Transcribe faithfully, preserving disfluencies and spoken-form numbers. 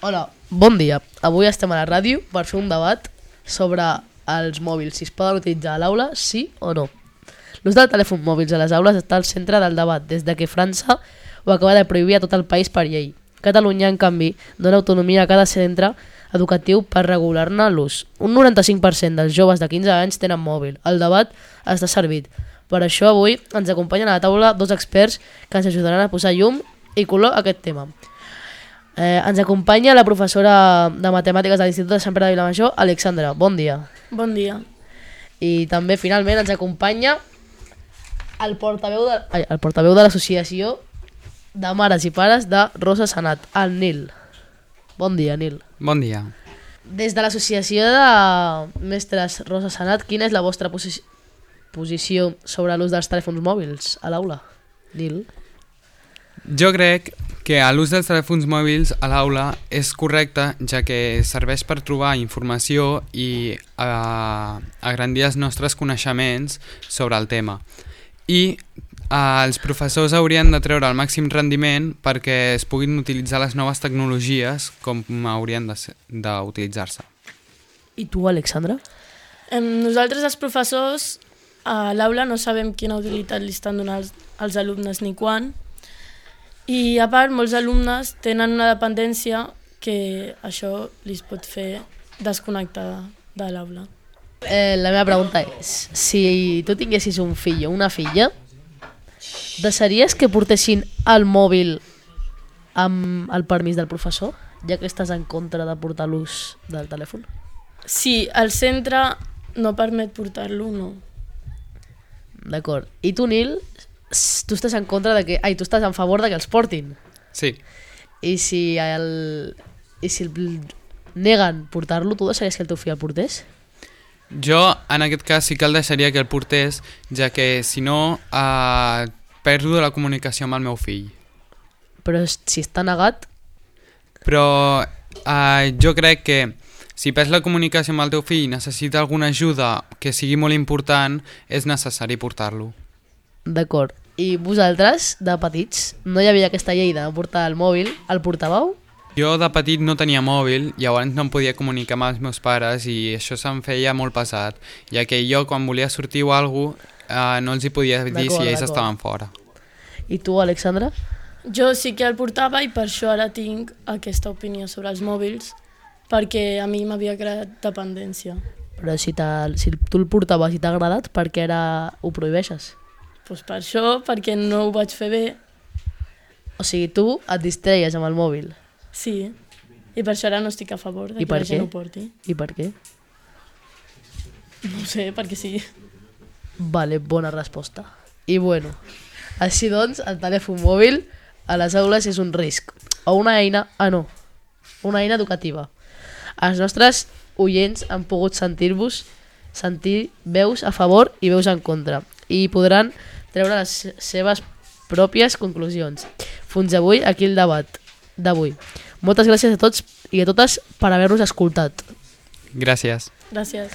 Hola, bon dia. Avui estem a la ràdio per fer un debat sobre els mòbils, si es poden utilitzar a l'aula, sí o no. L'ús del telèfon mòbils a les aules està al centre del debat des de que França ho acaba de prohibir a tot el país per llei. Catalunya, en canvi, dona autonomia a cada centre educatiu per regular-ne l'ús. Un noranta-cinc per cent dels joves de quinze anys tenen mòbil. El debat està servit. Per això avui ens acompanyen a la taula dos experts que ens ajudaran a posar llum i color a aquest tema. Eh, ens acompanya la professora de Matemàtiques de l'Institut de Sant Pere de Vilamajor, Alexandra. Bon dia. Bon dia. I també, finalment, ens acompanya el portaveu de, ai, el portaveu de l'Associació de Mares i Pares de Rosa Sanat, el Nil. Bon dia, Nil. Bon dia. Des de l'Associació de Mestres Rosa Sanat, quina és la vostra posi posició sobre l'ús dels telèfons mòbils a l'aula? Nil? Jo crec que l'ús dels telèfons mòbils a l'aula és correcte, ja que serveix per trobar informació i uh, agrandir els nostres coneixements sobre el tema. I uh, els professors haurien de treure el màxim rendiment perquè es puguin utilitzar les noves tecnologies com haurien d'utilitzar-se. I tu, Alexandra? Em, nosaltres, els professors, a l'aula no sabem quina utilitat li estan donant als, als alumnes ni quan. I a part, molts alumnes tenen una dependència que això li pot fer desconnectar de l'aula. Eh, la meva pregunta és, si tu tinguessis un fill o una filla, deixaries que portessin el mòbil amb el permís del professor, ja que estàs en contra de portar l'ús del telèfon? Si el centre no permet portar-lo, no. D'acord. I tu, Nil, tu estàs en contra de que... Ai, tu estàs en favor de que els portin. Sí. I si el... I si el neguen portar-lo, tu deixaries que el teu fill el portés? Jo, en aquest cas, sí que el deixaria que el portés, ja que, si no, eh, perdo la comunicació amb el meu fill. Però si està negat... Però eh, jo crec que si perds la comunicació amb el teu fill i necessita alguna ajuda que sigui molt important, és necessari portar-lo. D'acord. I vosaltres, de petits, no hi havia aquesta llei de portar el mòbil, el portàveu? Jo de petit no tenia mòbil, llavors no em podia comunicar amb els meus pares i això se'm feia molt pesat, ja que jo quan volia sortir o alguna cosa eh, no els hi podia dir si ells estaven fora. I tu, Alexandra? Jo sí que el portava i per això ara tinc aquesta opinió sobre els mòbils, perquè a mi m'havia creat dependència. Però si, si tu el portaves i t'ha agradat, per què ara ho prohibeixes? Pues per això, perquè no ho vaig fer bé. O sigui, tu et distreies amb el mòbil? Sí, i per això ara no estic a favor de I que la gent què? ho porti. I per què? No ho sé, perquè sí. Vale, bona resposta. I bueno, així doncs, el telèfon mòbil a les aules és un risc. O una eina... Ah, no. Una eina educativa. Els nostres oients han pogut sentir-vos, sentir veus a favor i veus en contra. I podran treure les seves pròpies conclusions. Fins avui, aquí el debat d'avui. Moltes gràcies a tots i a totes per haver-nos escoltat. Gràcies. Gràcies.